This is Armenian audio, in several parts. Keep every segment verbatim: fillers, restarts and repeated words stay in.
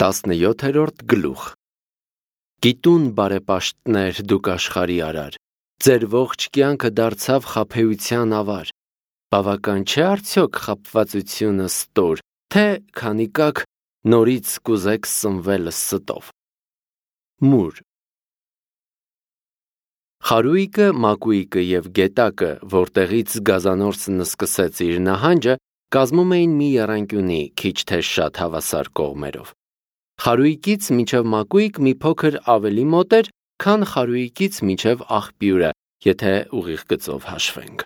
տասնյոթերորդ գլուխ Գիտուն բարեպաշտներ դուք աշխարհի արար, ձեր ողջ կյանքը դարձավ խաբեության ավար, բավական չէ արդյոք խաբվածությունը ստոր, թե քանի կաք նորից կուզեք սնվել ստով։ Մուր Խարույկը, մակույկը և գետակը, որտեղից գազանորսն սկսեց իր նահանջը, կազմում էին մի եռանկյունի, քիչ թե շատ հավասար կողմերով։ Խարույկից մինչև մակույկ մի փոքր ավելի մոտ էր, քան խարույկից մինչև աղբյուրը, եթե ուղիղ գծով հաշվենք։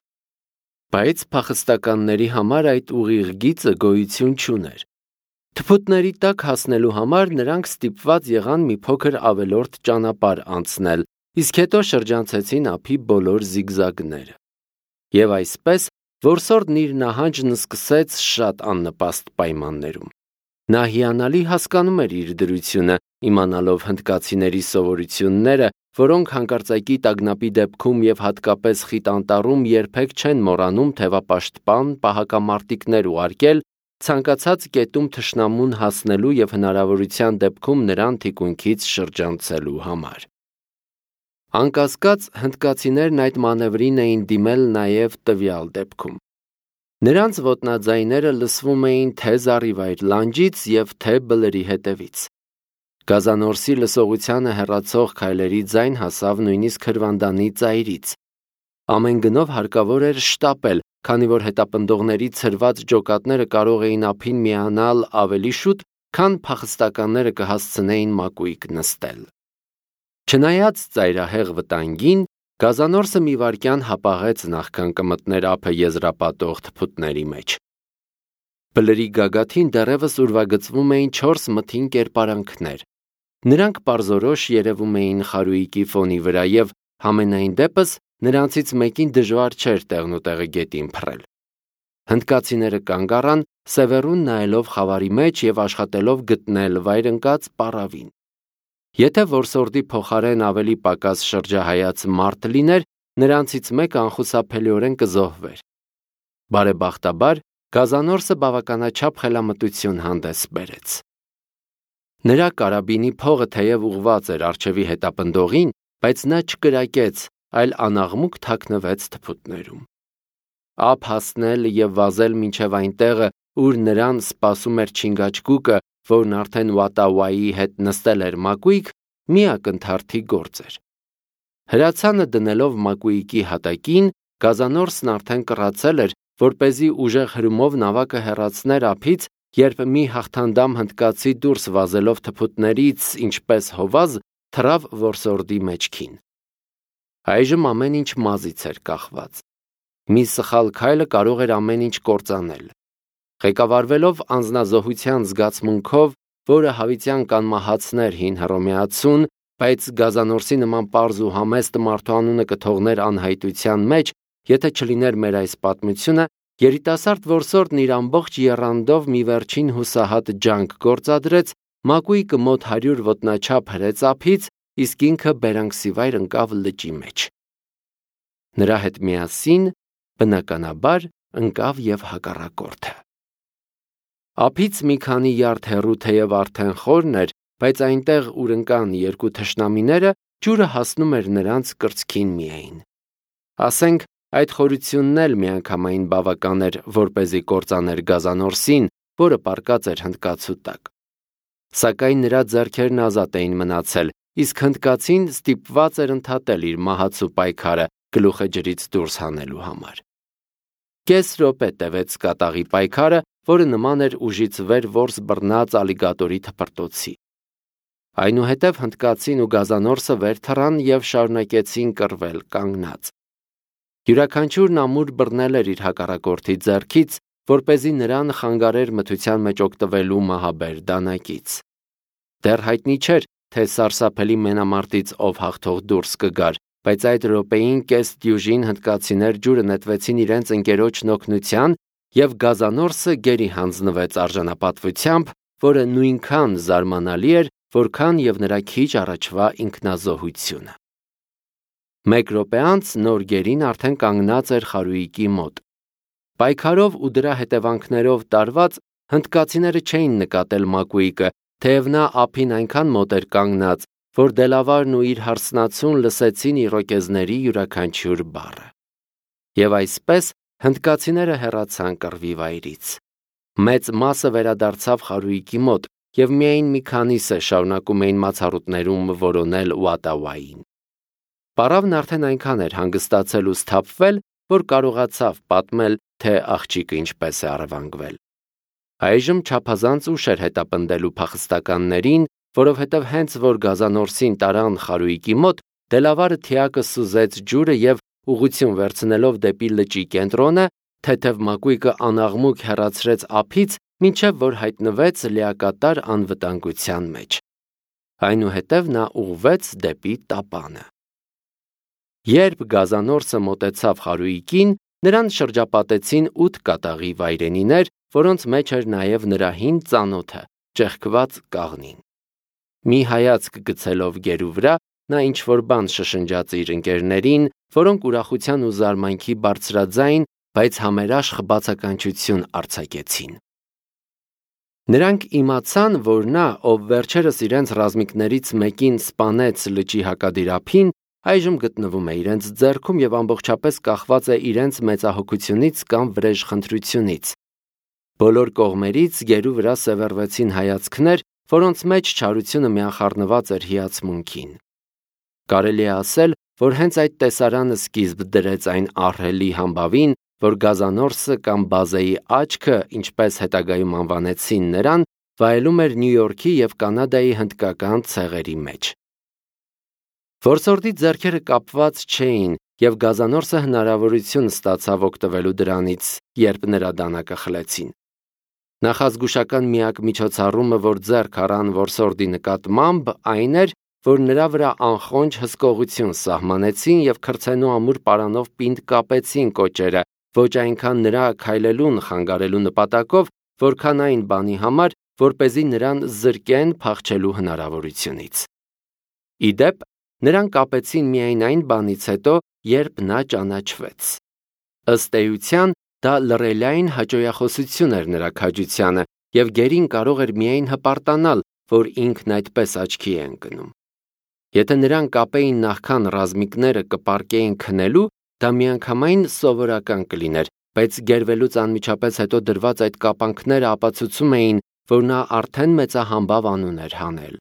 Բայց փախստականների համար այդ ուղիղ գիծը գոյություն չուներ։ Թփուտների տակ հասնելու համար նրանք ստիպված եղան մի փոքր ավելորդ ճանապարհ անցնել, իսկ հետո շրջանցեցին ափի բոլոր զիգզագները։ Եվ այսպես որսորդն իր նահանջն սկսեց շատ աննպաստ պայմաններում։ Նա հիանալի հասկանում էր իր դրությունը, իմանալով հնդկացիների սովորությունները, որոնք հանկարծակի տագնապի դեպքում և հատկապես խիտ անտառում երբեք չեն մոռանում թևապաշտպան պահակամարտիկներ ուղարկել ցանկացած կետում թշնամուն հասնելու և հնարավորության դեպքում նրան թիկունքից շրջանցելու համար։ Անկասկած, հնդկացիներն այդ մանևրին էին դիմել նաև տվյալ դեպքում։ Նրանց ոտնաձայները լսվում էին թե զառիվայր լանջից և թե բլրի հետևից։ Գազանորսի լսողությանը հեռացող քայլերի ձայն հասավ նույնիսկ հրվանդանի ծայրից։ Ամեն գնով հարկավոր էր շտապել, քանի որ հետապնդողների ցրված ջոկատները կարող էին ափին միանալ ավելի շուտ, քան փախստականները կհասցնեին մակույկ նստել։ Չնայած ծայրահեղ վտանգին, գազանորսը մի վայրկյան հապաղեց նախքան կմտներ ափը եզրապատող թփուտների մեջ։ Բլրի գագաթին դեռևս ուրվագծվում էին չորս մթին կերպարանքներ։ Նրանք պարզորոշ երևում էին խարույկի ֆոնի վրա և, համենայն դեպս, նրանցից մեկին դժվար չէր տեղնուտեղը գետին փռել։ Հնդկացիները կանգ առան, սևեռուն նայելով խավարի մեջ և աշխատելով գտնել վայրընկած պառավին։ Եթե որսորդի փոխարեն ավելի պակաս շրջահայաց մարդ լիներ, նրանցից մեկը անխուսափելիորեն կզոհվեր։ Բարեբախտաբար, գազանորսը բավականաչափ խելամտություն հանդես բերեց։ Նրա կարաբինի փողը թեև ուղղված էր առջևի հետապնդողին, բայց նա չկրակեց, այլ անաղմուկ թաքնվեց թփուտներում։ Ափ հասնել և վազել մինչև այն տեղը, ուր նրան սպասում էր չինգաչգուկը, որն արդեն Ուատավայի հետ նստել էր մակույկ, մի ակնթարթի գործ էր։ Հրացանը դնելով մակույկի հատակին, գազանորսն արդեն կռացել էր, որպեսզի ուժեղ հրումով նավակը հեռացներ ափից, երբ մի հաղթանդամ հնդկացի դուրս վազելով թփուտներից, ինչպես հովազ, թռավ որսորդի մեջքին։ Այժմ ամեն ինչ մազից էր կախված։ Մի սխալ քայլը կարող էր ամեն ինչ կործանել։ Ղեկավարվելով անձնազոհության զգացմունքով, որը հավիտյան կանմահացներ հին հռոմեացուն, բայց գազանորսի նման պարզ ու համեստ մարդու անունը կթողներ անհայտության մեջ, եթե չլիներ մեր այս պատմությունը, երիտասարդ որսորդն իր ամբողջ եռանդով մի վերջին հուսահատ ջանք գործադրեց, մակույկը մոտ հարյուր ոտնաչափ հրեց ափից, իսկ ինքը բերանքսիվայր ընկավ լճի մեջ։ Նրա հետ միասին, բնականաբար, ընկավ և հակառակորդը։ Ափից մի քանի յարդ հեռու թեև արդեն խորն էր, բայց այնտեղ, ուր ընկան երկու թշնամիները, ջուրը հասնում էր նրանց կրծքին միայն։ Ասենք, այդ խորությունն էլ միանգամայն բավական էր, որպեսզի կործաներ գազանորսին, որը պառկած էր հնդկացու տակ։ Սակայն նրա ձեռքերն ազատ էին մնացել, իսկ հնդկացին ստիպված էր ընդհատել իր մահացու պայքարը գլուխը ջրից դուրս հանելու համար։ Կես րոպե տևեց կատաղի պայքարը, որը նման էր ուժից վեր որս բռնած ալիգատորի թփրտոցի։ Այնուհետև հնդկացին ու գազանորսը վեր թռան և շարունակեցին կռվել կանգնած։ Յուրաքանչյուրն ամուր բռնել էր իր հակառակորդի ձեռքից, որպեսզի նրան խանգարեր մթության մեջ օգտվելու մահաբեր դանակից։ Դեռ հայտնի չէր, թե սարսափելի մենամարտից ով հաղթող դուրս կգար, բայց այդ րոպեին կես դյուժին հնդկացիներ ջուրը նետվեցին իրենց ընկերոջն օգնության, և գազանորսը գերի հանձնվեց արժանապատվությամբ, որը նույնքան զարմանալի էր, որքան և նրա քիչ առաջվա ինքնազոհությունը։ Մեկ րոպե անց նոր գերին արդեն կանգնած էր խարույկի մոտ։ Պայքարով ու դրա հետևանքներով տարված, հնդկացիները չէին նկատել մակույկը, թեև նա ափին այնքան մոտ էր կանգնած, որ Դելավարն ու իր հարսնացուն լսեցին իրոկեզների յուրաքանչյուր բառը։ Եվ այսպես հնդկացիները հեռացան կռվի վայրից։ Մեծ մասը վերադարձավ խարույկի մոտ, և միայն մի քանիսը շարունակում էին մացառուտներում որոնել Ուատավային։ Պարավն արդեն այնքան էր հանգստացել ու սթափվել, որ կարողացավ պատմել, թե աղջիկը ինչպես է առևանգվել։ Այժմ չափազանց ուշ էր հետապնդելու փախստականներին, որովհետև հենց որ գազանորսին տարան խարույկի մոտ, Դելավարը թիակը սուզեց ջուրը և ուղղություն վերցնելով դեպի լճի կենտրոնը, թեթև մակույկը անաղմուկ հեռացրեց ափից, մինչև որ հայտնվեց լիակատար անվտանգության մեջ։ Այնուհետև նա ուղղվեց դեպի տապանը։ Երբ գազանորսը մոտեցավ խարույկին, նրան շրջապատեցին ութ կատաղի վայրենիներ, որոնց մեջ էր նաև նրա հին ծանոթը, ճեղքված կաղնին։ Մի հայացք գցելով գերու վրա, նա ինչ-որ բան շշնջաց իր ընկերներին, որոնք ուրախության ու զարմանքի բարձրաձայն, բայց համերաշխ բացականչություն արձակեցին։ Նրանք իմացան, որ նա, ով վերջերս իրենց ռազմիկներից մեկին սպանեց լճի հակադիր այժմ գտնվում է իրենց ձեռքում և ամբողջապես կախված է իրենց մեծահոգությունից կամ վրեժխնդրությունից։ Բոլոր կողմերից գերու վրա սևեռվեցին հայացքներ, որոնց մեջ չարությունը միախառնված էր հիացմունքին։ Կարելի է ասել, որ հենց այդ տեսարանը սկիզբ դրեց այն ահռելի համբավին, որ գազանորսը կամ Բազեի աչքը, ինչպես հետագայում անվանեցին նրան, վայելում էր Նյու Յորքի և Կանադայի հնդկական ցեղերի մեջ։ Որսորդի ձեռքերը կապված չէին, և գազանորսը հնարավորություն ստացավ օգտվելու դրանից, երբ նրա դանակը խլեցին։ Նախազգուշական միակ միջոցառումը, որ ձեռք առան որսորդի նկատմամբ, այն էր, որ նրա վրա անխոնջ հսկողություն սահմանեցին և քրդցենու ամուր պարանով պինդ կապեցին կոճերը, ոչ այնքան նրա քայլելուն խանգարելու նպատակով, որքան այն բանի համար, որպեսզի նրան զրկեն փախչելու հնարավորությունից։ Ի դեպ, նրան կապեցին միայն այն բանից հետո, երբ նա ճանաչվեց։ Ըստ էության, դա լռելային հաճոյախոսություն էր նրա քաջությանը, և գերին կարող էր միայն հպարտանալ, որ ինքն այդպես աչքի է ընկնում։ Եթե նրան կապեին նախքան ռազմիկները կպարկեին քնելու, դա միանգամայն սովորական կլիներ, բայց գերվելուց անմիջապես հետո դրված այդ կապանքները ապացուցում էին, որ նա արդեն մեծահամբավ անուն էր հանել։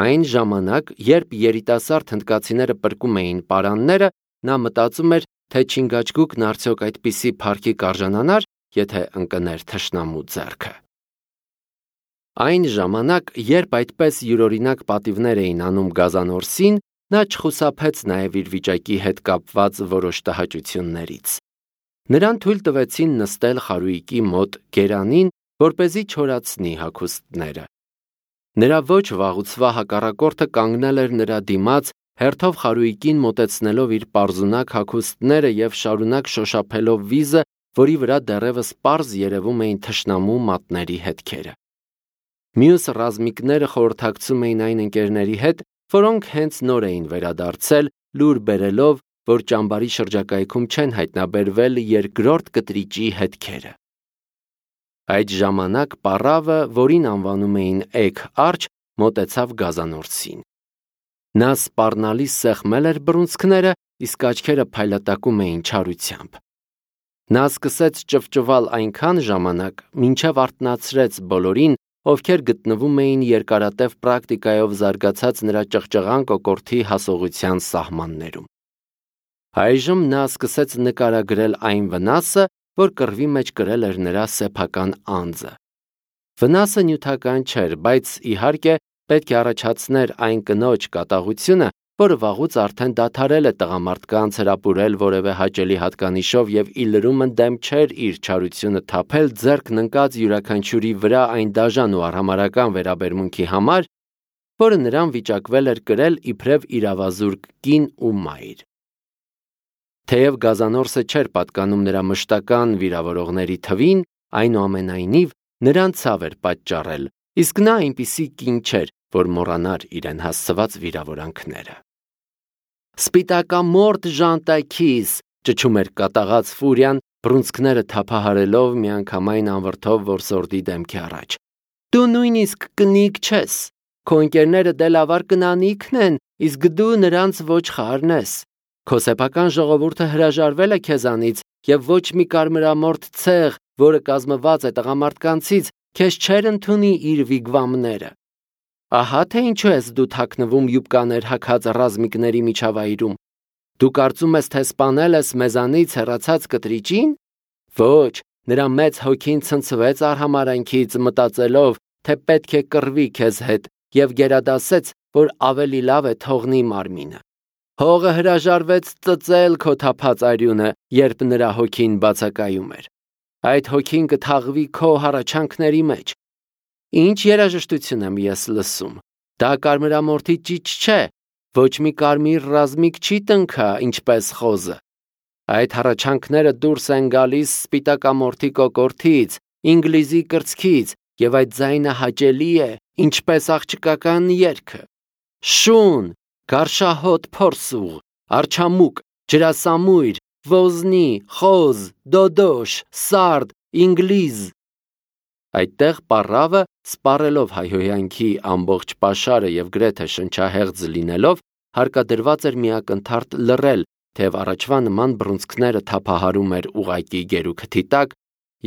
Այն ժամանակ, երբ երիտասարդ հնդկացիները պրկում էին պարանները, նա մտածում էր, թե Չինգաչգուկն արդյոք այդպիսի փառքի կարժանանար, եթե ընկներ թշնամու ձեռքը։ Այն ժամանակ, երբ այդպես յուրօրինակ պատիվներ էին անում գազանորսին, նա չխուսափեց նաև իր վիճակի հետ կապված որոշ տհաճություններից։ Նրան թույլ տվեցին նստել խարույկի մոտ գերանին, որպեսզի չորացնի հագուստները։ Նրա ոչ վաղուցվա հակառակորդը կանգնել էր նրա դիմաց, հերթով խարույկին մոտեցնելով իր պարզունակ հագուստները և շարունակ շոշափելով վիզը, որի վրա դեռևս պարզ երևում էին թշնամու մատների հետքերը։ Մյուս ռազմիկները խորհրդակցում էին այն ընկերների հետ, որոնք հենց նոր էին վերադարձել, լուր բերելով, որ ճամբարի շրջակայքում չեն հայտնաբերվել երկրորդ կտրիճի հետքերը։ Այդ ժամանակ պառավը, որին անվանում էին Էգ Արչ, մոտեցավ գազանորսին։ Նա սպառնալից սեղմել էր բռունցքները, իսկ աչքերը փայլատակում էին չարությամբ։ Նա սկսեց ճվճվալ այնքան ժամանակ, մինչև արթնացրեց բոլորին, ովքեր գտնվում էին երկարատև պրակտիկայով զարգացած նրա ճղճղան կոկորդի հասողության սահմաններում։ Այժմ նա սկսեց նկարագրել այն վնասը, որ կռվի մեջ կրել էր նրա սեփական անձը։ Վնասը նյութական չէր, բայց իհարկե պետք է առաջացներ այն կնոջ կատաղությունը, որը վաղուց արդեն դադարել է տղամարդկանց հրապուրել որևէ հաճելի հատկանիշով և ի լրումն դեմ չէր իր չարությունը թափել ձեռքն ընկած յուրաքանչյուրի վրա այն դաժան ու արհամարհական վերաբերմունքի համար, որը նրան վիճակվել էր կրել իբրև իրավազուրկ կին ու մայր։ Թեև գազանորսը չէր պատկանում նրա մշտական վիրավորողների թվին, այնուամենայնիվ նրան ցավ էր պատճառել, իսկ նա այնպիսի կին չէր, որ մոռանար իրեն հասցված վիրավորանքները։ «Սպիտակամորթ ժանտաքիս», ճչում էր կատաղած Ֆուրիան, բռունցքները թափահարելով միանգամայն անվրդով որսորդի դեմքի առաջ։ Դու նույնիսկ կնիկ չես, քո ընկերները դե լավար կնանիքն են, իսկ դու նրանց ոչխարն ես։ Քո սեփական ժողովուրդը հրաժարվել է քեզանից եւ ոչ մի կարմրամորթ ցեղ, որը կազմված է տղամարդկանցից, քեզ չեր ընդունի իր վիգվամները։ Ահա թե ինչու ես դու թաքնվում յուբկաներ հագած ռազմիկների միջավայրում։ Դու կարծում ես, թե սպանել ես մեզանից հեռացած կտրիճին։ Ոչ, նրա մեծ հոգին ցնցվեց արհամարանքից, մտածելով, թե պետք է կռվի քեզ հետ, եւ գերադասեց, որ ավելի լավ է թողնի մարմինը։ Հողը հրաժարվեց ծծել քո թափած արյունը, երբ նրա հոգին բացակայում էր։ Այդ հոգին կթաղվի քո հառաչանքների մեջ։ Ինչ երաժշտություն եմ ես լսում։ Դա կարմրամորթի ճիչ չէ, ոչ մի կարմիր ռազմիկ չի տնքա, ինչպես խոզը։ Այդ հառաչանքները դուրս են գալիս սպիտակամորթի կոկորտից, ինգլիզի կրծքից, եւ այդ ձայնը հաճելի է, ինչպես աղջկական երգը։ Շուն, գարշահոտ փորսուղ, արչամուկ, ջրասամույր, ոզնի, խոզ, դոդոշ, սարդ, ինգլիզ։ Այդտեղ պառավը, սպառելով հայհոյանքի ամբողջ պաշարը եւ գրեթե շնչահեղձ լինելով, հարկադրված էր միակնթարթ լռել, թեև առաջվա նման բռունցքները թափահարում էր ուղակի գերուքթի տակ,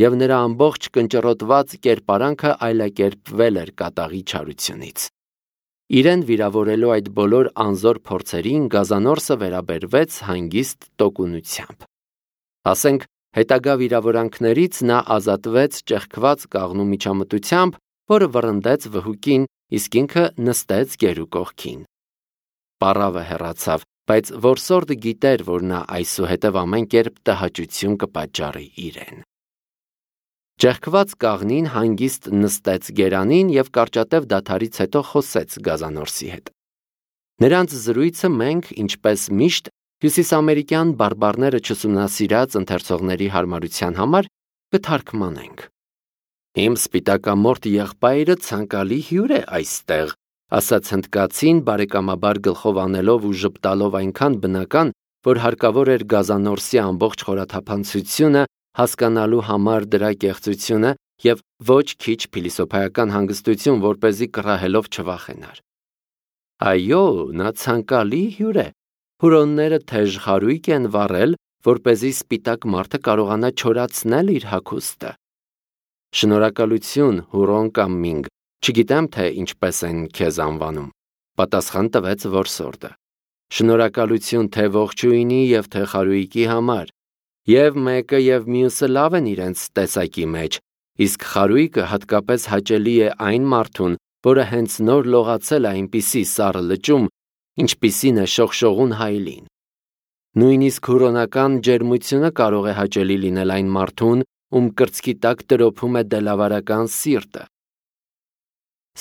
եւ նրա ամբողջ կնճռոտված կերպարանքը այլակերպվել էր կատաղի չարությունից։ Իրեն վիրավորելու այդ բոլոր անզոր փորձերին գազանորսը վերաբերվեց հանգիստ տոկունությամբ։ Ասենք, հետագա վիրավորանքներից նա ազատվեց ճեղքված կաղնու միջամտությամբ, որը վռնդեց վհուկին, իսկ ինքը նստեց գերու կողքին։ Պառավը հեռացավ, բայց որսորդը գիտեր, որ նա այսուհետև ամեն կերպ տհաճություն կպատճառի իրեն։ Ճեղքված կաղնին հանգիստ նստեց գերանին եւ կարճատև դադարից հետո խոսեց գազանորսի հետ։ Նրանց զրույցը մենք, ինչպես միշտ, հյուսիսամերիկյան բարբառները չուսումնասիրած ընթերցողների հարմարության համար կթարգմանենք։ Իմ սպիտակամորթ եղբայրը ցանկալի հյուր է այստեղ, ասաց հնդկացին բարեկամաբար գլխով անելով ու ժպտալով այնքան բնական, որ հարկավոր էր գազանորսի ամբողջ խորաթափանցությունը հասկանալու համար դրա կեղծությունը եւ ոչ քիչ փիլիսոփայական հանգստություն, որպեսզի կռահելով չվախենար։ Այո, նա ցանկալի հյուր է։ Հուրոնները թեժ խարույկ են վառել, որպեսզի սպիտակ մարդը կարողանա չորացնել իր հագուստը։ Շնորհակալություն, հուրոն կամ մինգ, չգիտեմ թե ինչպես են քեզ անվանում, պատասխան տվեց որսորդը։ Շնորհակալություն թե ողջույնի եւ թե խարույկի համար։ Եվ մեկը եւ մյուսը լավ են իրենց տեսակի մեջ, իսկ խարույկը հատկապես հաճելի է այն մարդուն, որը հենց նոր լողացել է այնպիսի սառը լճում, ինչպիսին է շողշողուն հայլին։ Նույնիսկ հուրոնական ջերմությունը կարող է հաճելի լինել այն մարդուն, ում կրծքի տակ տրոփում է դելավարական սիրտը։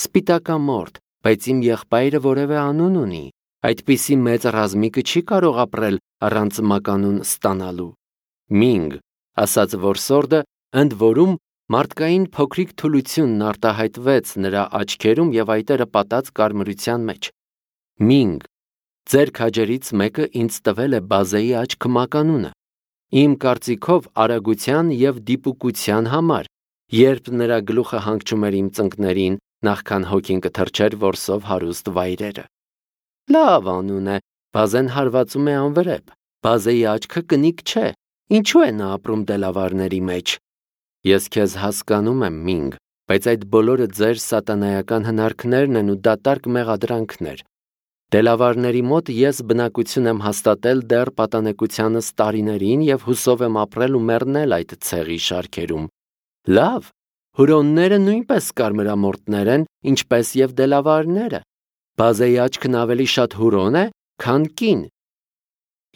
Սպիտակամորթ, բայց իմ եղբայրը որևէ անուն ունի, այդպիսի մեծ ռազմիկը չի կարող ապրել առանց մականուն ստանալու։ Մինգ, ասաց որսորդը, ընդ որում մարդկային փոքրիկ թուլությունն արտահայտվեց նրա աչքերում եւ այտերը պատած կարմրության մեջ։ Մինգ, ձեր քաջերից մեկը ինձ տվել է բազեի աչք մականունը։ Իմ կարծիքով արագության եւ դիպուկության համար, երբ նրա գլուխը հանգչում էր իմ ծնկներին, նախքան հոգին կթրջեր որսով հարուստ վայրերը։ Լավ անուն է, բազեն հարվածում է անվրեպ, բազեի աչքը կնիկ չէ, ինչու է նա ապրում դելավարների մեջ։ Ես քեզ հասկանում եմ, Մինգ, բայց այդ բոլորը ձեր սատանայական հնարքներն են ու դատարկ մեղադրանքներ։ Դելավարների մոտ ես բնակություն եմ հաստատել դեռ պատանեկությանս տարիներին եւ հուսով եմ ապրել ու մեռնել այդ ցեղի շարքերում։ Լավ, հուրոնները նույնպես կարմրամորթներ են, ինչպես եւ դելավարները։ Բազեի աչքն ավելի շատ հուրոն է, քան կին։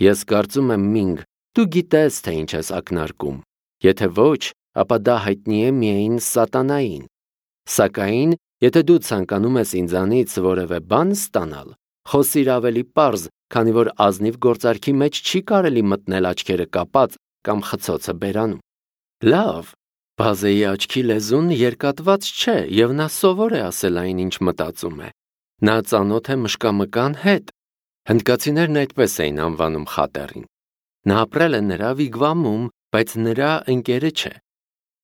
Ես կարծում եմ, Մինգ, դու գիտես, թե ինչ ես ակնարկում։ Եթե ոչ, ապա դա հայտնի է միայն սատանային։ Սակայն, եթե դու ցանկանում ես ինձանից որևէ բան ստանալ, խոսիր ավելի պարզ, քանի որ ազնիվ գործարքի մեջ չի կարելի մտնել աչքերը կապած կամ խցոցը բերանում։ Լավ, բազեի աչքի լեզուն երկատված չէ եւ նա սովոր է ասել այն, ինչ մտածում է։ Նա ծանոթ է մշկամկան հետ։ Հնդկացիներն այդպես էին անվանում խատերին։ Նա ապրել է նրա վիգվամում, բայց նրա ընկերը չէ։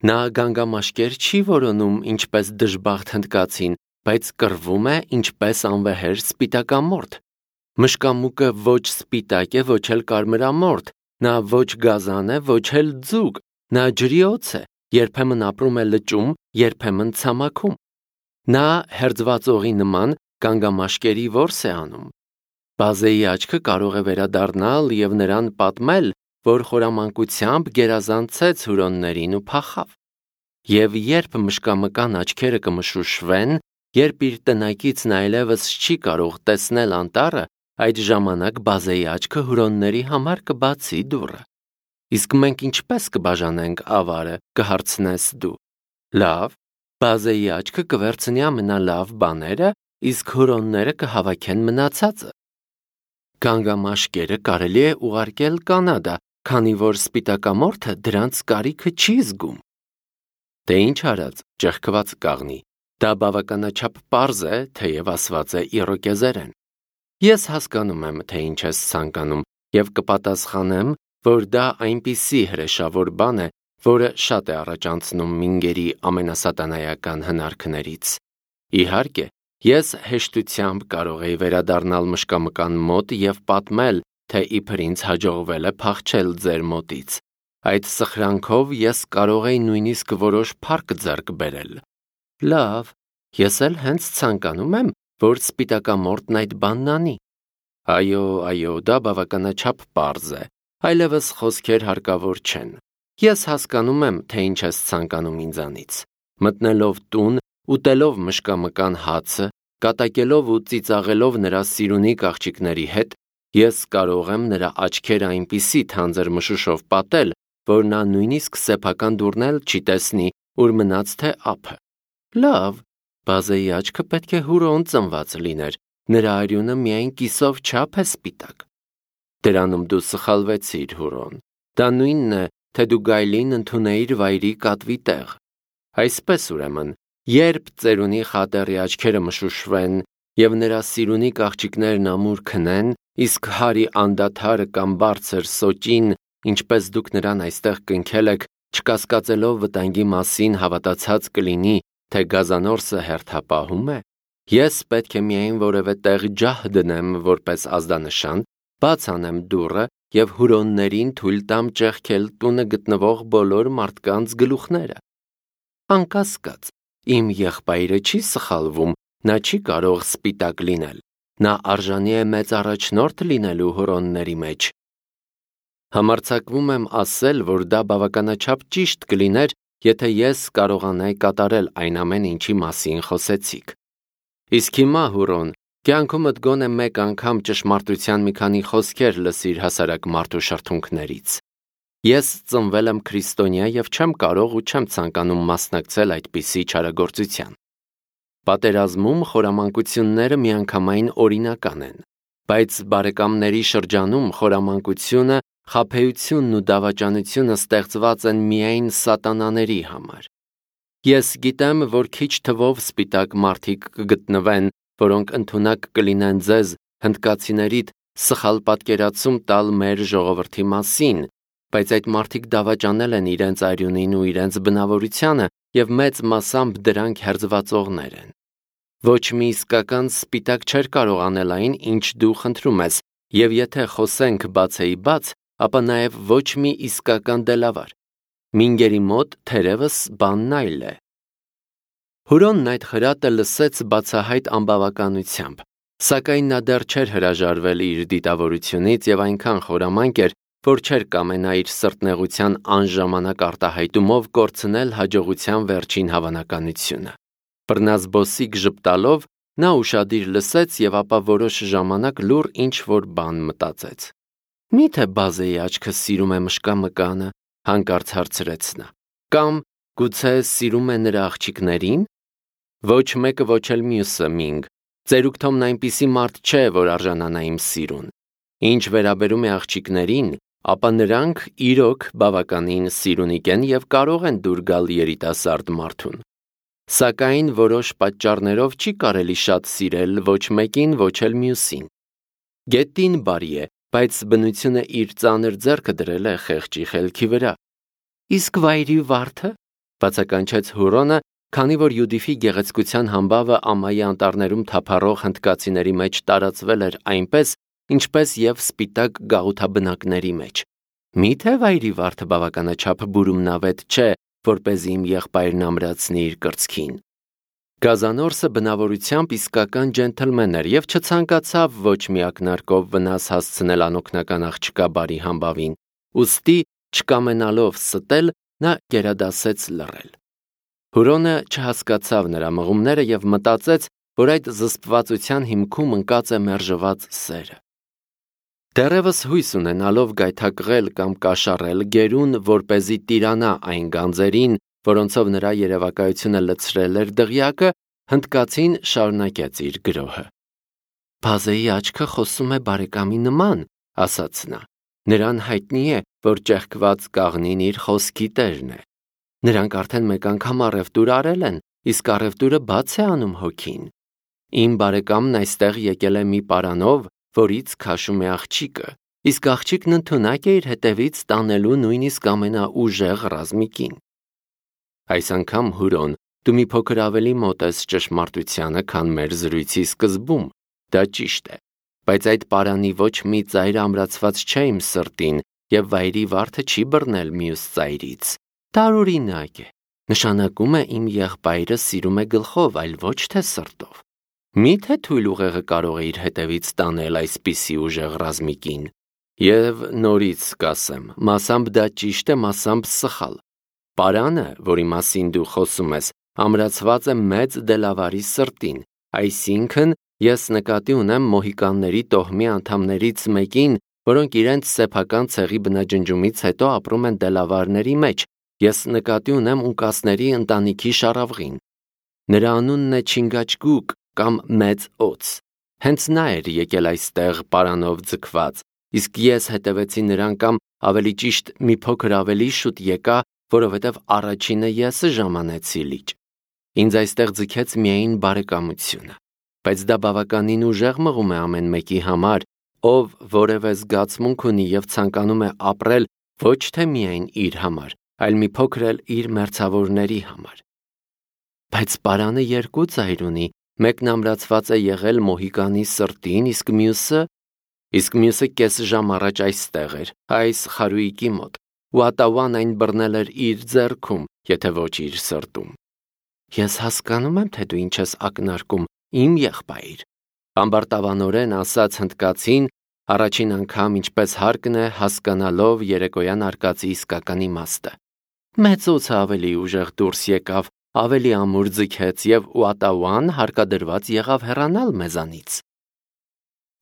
Նա գանգամաշկեր չի որոնում ինչպես դժբախտ հնդկացին, բայց կռվում է ինչպես անվեհեր սպիտակամորթ։ Մշկամուկը ոչ սպիտակ է, ոչ էլ կարմրամորթ, նա ոչ գազան է, ոչ էլ ձուկ, նա ջրի օձ է, երբեմն ապրում է լճում, երբեմն ցամաքում։ Նա հերձվածողի նման գանգամաշկերի որս է անում։ Բազեի աչքը կարող է վերադառնալ և նրան պատմել, որ խորամանկությամբ գերազանցեց հուրոններին ու փախավ։ Եվ երբ մշկամկան աչքերը կմշուշվեն, երբ իր տնակիցն այլևս չի կարող տեսնել անտառը, այդ ժամանակ Բազեի աչքը հուրոնների համար կբացի դուռը։ Իսկ մենք ինչպես կբաժանենք ավարը, կհարցնես դու։ Լավ, Բազեի աչքը կվերցնի ամենալավ բաները, իսկ հուրոնները կհավաքեն մնացածը։ Գանգամաշկերը կարելի է ուղարկել Կանադա, քանի որ սպիտակամորթը դրանց կարիքը չի զգում։ Դե ինչ արած, ճեղքված կաղնի, դա բավականաչափ պարզ է, թեև ասված է իրոկեզերեն։ Ես հասկանում եմ, թե ինչ ես ցանկանում, և կպատասխանեմ, որ դա այնպիսի հրեշավոր բան է, որը շատ է առաջանցնում մինգերի ամենասատանայական հնարքներից։ Իհարկե, ես հեշտությամբ կարող էի վերադառնալ մշկամկան մոտ և պատմել, թե իբր ինձ հաջողվել է փախչել ձեր մոտից։ Այդ սխրանքով ես կարող էի նույնիսկ որոշ փառք ձեռք բերել։ Լավ, ես էլ հենց ցանկանում եմ, որ սպիտակամորթն այդ բանն անի։ Այո, այո, դա բավականաչափ պարզ է, այլևս խոսքեր հարկավոր չեն։ Ես հասկանում եմ, թե ինչ ես ցանկանում ինձանից։ Մտնելով տուն, ուտելով մշկամկան հացը, կատակելով ու ծիծաղելով նրա սիրունի աղջիկների հետ, ես կարող եմ նրա աչքերը այնպիսի թանձր մշուշով պատել, որ նա նույնիսկ սեփական դուռն էլ չի տեսնի, ուր մնաց թե ափը։ Լավ, Բազեի աչքը պետք է հուրոն ծնված լիներ, նրա արյունը միայն կիսով չափ է սպիտակ։ Դրանում դու սխալվեցիր, հուրոն։ Դա նույնն է, թե դու գայլին ընդունեիր վայրի կատվի տեղ։ Այսպես ուրեմն, երբ ծերունի խատերի աչքերը մշուշվեն և նրա սիրունի աղջիկներն ամուր քնեն, իսկ հարի անդադարը կամ բարձր սոճին, ինչպես դուք նրան այստեղ կնքել եք, չկասկածելով վտանգի մասին հավատացած կլինի, թե գազանորսը հերթապահում է, ես պետք է միայն որևէ տեղ ջահ դնեմ որպես ազդանշան, բաց անեմ դուռը և հուրոններին թույլ տամ ճեղքել տունը գտնվող բոլոր մարդկանց գլուխները։ Անկասկած, իմ եղբայրը չի սխալվում, նա չի կարող սպիտակ լինել, նա արժանի է մեծ առաջնորդ լինելու հուրոնների մեջ։ Համարձակվում եմ ասել, որ դա բավականաչափ ճիշտ կլիներ, եթե ես կարողանայի կատարել այն ամեն ինչի մասին խոսեցիք։ Իսկ հիմա, հուրոն, կյանքումդ գոնե մեկ անգամ ճշմարտության մի քանի խոսքեր լսիր հասարակ մարդու շրթունքներից։ Ես ծնվել եմ քրիստոնյա և չեմ կարող ու չեմ ցանկանում մասնակցել այդպիսի չարագործության։ Պատերազմում խորամանկությունները միանգամայն օրինական են, բայց բարեկամների շրջանում խորամանկությունը, խաբեությունն ու դավաճանությունը ստեղծված են միայն սատանաների համար։ Ես գիտեմ, որ քիչ թվով սպիտակ մարդիկ կգտնվեն, որոնք ընդունակ կլինեն ձեզ, հնդկացիներիդ, սխալ պատկերացում տալ մեր ժողովրդի մասին, բայց այդ մարդիկ դավաճանել են իրենց արյունին ու իրենց բնավորությանը և մեծ մասամբ դրանք հերձվածողներ են։ Ոչ մի իսկական սպիտակ չէր կարող անել այն, ինչ դու խնդրում ես, և եթե խոսենք բացեի բաց, ապա նաև ոչ մի իսկական դելավար։ Մինգերի մոտ թերևս բանն այլ է։ Հուրոնն այդ խրատը լսեց բացահայտ անբավականությամբ, սակայն նա դեռ չէր հրաժարվել իր դիտավորությունից և այնքան խորամանկ էր, որ չէր կամենա իր սրտնեղության անժամանակ արտահայտումով կորցնել հաջողության վերջին հավանականությունը։ Բռնազբոսիկ ժպտալով նա ուշադիր լսեց և ապա որոշ ժամանակ լուռ ինչ-որ բան մտածեց։ Մի՞թե Բազեի աչքը սիրում է մշկամկանը, հանկարծ հարցրեց նա, կամ գուցե սիրում է նրա աղջիկներին։ Ոչ մեկը, ոչ էլ մյուսը, Մինգ, ծերուկ Թոմն այնպիսի մարդ չէ, որ արժանանա իմ սիրուն։ Ինչ վերաբերում է աղջիկներին, ապա նրանք իրոք բավականին սիրունիկ են և կարող են դուր գալ երիտասարդ մարդուն։ Սակայն որոշ պատճառներով չի կարելի շատ սիրել ոչ մեկին, ոչ էլ մյուսին։ Գետին բարի է, բայց բնությունը իր ծանր ձեռքը դրել է խեղճի խելքի վրա։ Իսկ վայրի վարդը, բացականչեց Հուրոնը, քանի որ Յուդիֆի գեղեցկության համբավը ամայի անտառներում թափառող հնդկացիների մեջ տարածվել էր այնպես, ինչպես եւ սպիտակ գաղութաբնակների մեջ։ Միթե վայրի վարդը բավականաչափ բուրումնավետ չէ, որպեսզի իմ եղբայրն ամրացնի իր կրծքին։ Գազանորսը բնավորությամբ իսկական ջենթլմեն էր եւ չցանկացավ ոչ մի ակնարկով վնաս հասցնել անօգնական աղջկա բարի համբավին, ուստի չկամենալով ստել, նա գերադասեց լռել։ Հուրոնը չհասկացավ նրա մղումները եւ մտածեց, որ այդ զսպվածության հիմքում ընկած է մերժված սերը։ Դեռևս հույս ունենալով գայթակղել կամ կաշառել գերուն, որպեսզի տիրանա այն գանձերին, որոնցով նրա երևակայությունը լցրել էր դղյակը, հնդկացին շարունակեց իր գրոհը։ Բազեի աչքը խոսում է բարեկամի նման, ասաց նա։ Նրան հայտնի է, որ ճեղքված կաղնին իր խոսքի տերն է։ Նրանք արդեն մեկ անգամ առևտուր արել են, իսկ առևտուրը բաց է անում հոգին։ Իմ բարեկամն այստեղ եկել է մի պարանով, որից քաշում է աղջիկը, իսկ աղջիկն ընդունակ է իր հետևից տանելու նույնիսկ ամենաուժեղ ռազմիկին։ Այս անգամ Հուրոն, դու մի փոքր ավելի մոտ ես ճշմարտությանը, քան մեր զրույցի սկզբում, դա ճիշտ է, բայց այդ պարանի ոչ մի ծայր ամրացված չէ իմ սրտին, եւ վայրի վարդը չի բռնել մյուս ծայրից։ Տարօրինակ է, նշանակում է իմ եղբայրը սիրում է գլխով, այլ ոչ թե սրտով։ Միթե թույլ ուղեղը կարող է իր հետևից տանել այսպիսի ուժեղ ռազմիկին։ Եվ նորից կասեմ, մասամբ դա ճիշտ է, մասամբ սխալ։ Պարանը, որի մասին դու խոսում ես, ամրացված է մեծ դելավարի սրտին, այսինքն ես նկատի ունեմ մոհիկանների տոհմի անդամներից մեկին, որոնք իրենց սեփական ցեղի բնաջնջումից հետո ապրում են դելավարների մեջ, ես նկատի ունեմ ունկասների ընտանիքի շարավղին։ Նրա անունն է Չինգաչգուկ կամ Մեծ Օծ։ Հենց նա էր եկել այստեղ պարանով ձգված, իսկ ես հետևեցի նրան կամ ավելի ճիշտ մի փոքր ավելի շուտ եկա, որովհետև առաջինը ես ժամանեցի լիճ։ Ինձ այստեղ ձգեց միայն բարեկամությունը, բայց դա բավականին ուժեղ մղում է ամեն մեկի համար, ով որևէ զգացմունք ունի եւ ցանկանում է ապրել ոչ թե միայն իր համար, այլ մի փոքր էլ իր մերձավորների համար։ Բայց պարանը երկու ծայր ունի, մեկն ամրացված է եղել մոհիկանի սրտին, իսկ մյուսը, իսկ մյուսը կես ժամ առաջ այստեղ էր, այս խարույկի մոտ, ու Ատավան այն բռնել էր իր ձեռքում, եթե ոչ իր սրտում։ Ես հասկանում եմ, թե դու ինչ ես ակնարկում, իմ եղբայր, ամբարտավանորեն ասաց հնդկացին, առաջին անգամ ինչպես հարկն է հասկանալով երեկոյան արկածի իսկական իմաստը։ Մեծ Օձը ավելի ուժեղ դուրս եկավ, ավելի ամուր ձգեց եւ Ուատավան հարկադրված եղավ հեռանալ մեզանից։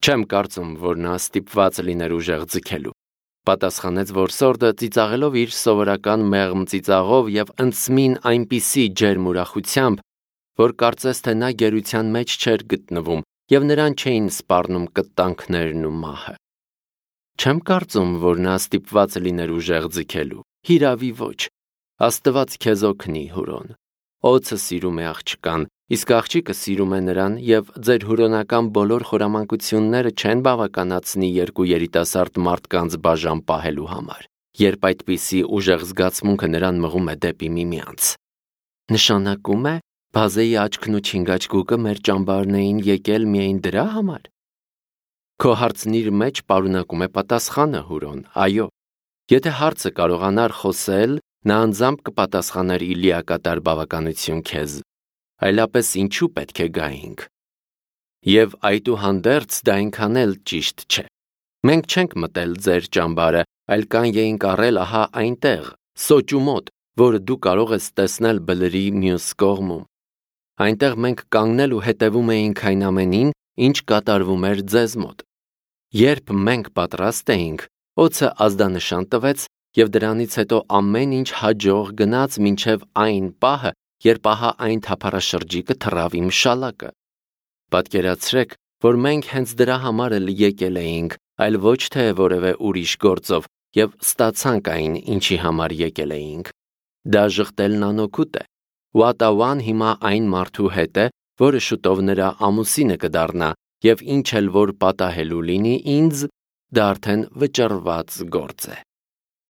Չեմ կարծում, որ նա ստիպված լիներ ուժեղ ձգելու, պատասխանեց որսորդը ծիծաղելով իր սովորական մեղմ ծիծաղով եւ ընծմին այնպիսի ջերմ ուրախությամբ, որ կարծես թե նա գերության մեջ չէր գտնվում եւ նրան չէին սպառնում կտանքներն ու մահը։ Չեմ կարծում, որ նա ստիպված լիներ ուժեղ ձգելու, հիրավի ոչ, Աստված քեզ օգնի, Հուրոն։ Օձը սիրում է աղջկան, իսկ աղջիկը սիրում է նրան եւ ձեր հուրոնական բոլոր խորամանկությունները չեն բավականացնի երկու երիտասարդ մարդկանց բաժան պահելու համար, երբ այդպիսի ուժեղ զգացմունքը նրան մղում է դեպի միմյանց։ Նշանակում է, Բազեի աչքն ու Չինգաչգուկը մեր ճամբարն էին եկել միայն դրա համար։ Քո հարցն իր մեջ պարունակում է պատասխանը, Հուրոն, այո։ Եթե հարցը կարողանար խոսել, նա անձամբ կպատասխաներ ի լիակատար բավականություն քեզ, այլապես ինչու պետք է գայինք։ Եվ այդուհանդերձ դա այնքան էլ ճիշտ չէ։ Մենք չենք մտել ձեր ճամբարը, այլ կանյ էինք առել ահա այնտեղ, սոճու մոտ, որը դու կարող ես տեսնել բլրի մյուս կողմում։ Այնտեղ մենք կանգնել ու հետևում էինք այն ամենին, ինչ կատարվում էր ձեզ մոտ։ Երբ մենք պատրաստ էինք, Օձը ազդանշան տվեց եւ դրանից հետո ամեն ինչ հաջող գնաց մինչև այն պահը, երբ ահա այն թափառաշրջիկը թռավ իմ շալակը։ Պատկերացրեք, որ մենք հենց դրա համար էլ եկել էինք, այլ ոչ թե որևէ ուրիշ գործով, եւ ստացանք այն, ինչի համար եկել էինք։ Դա ժխտելն անօգուտ է։ Ուատավան հիմա այն մարդու հետ է, որը շուտով նրա ամուսինը կդառնա, եւ ինչ էլ որ պատահելու լինի ինձ, դա արդեն վճռված գործ է։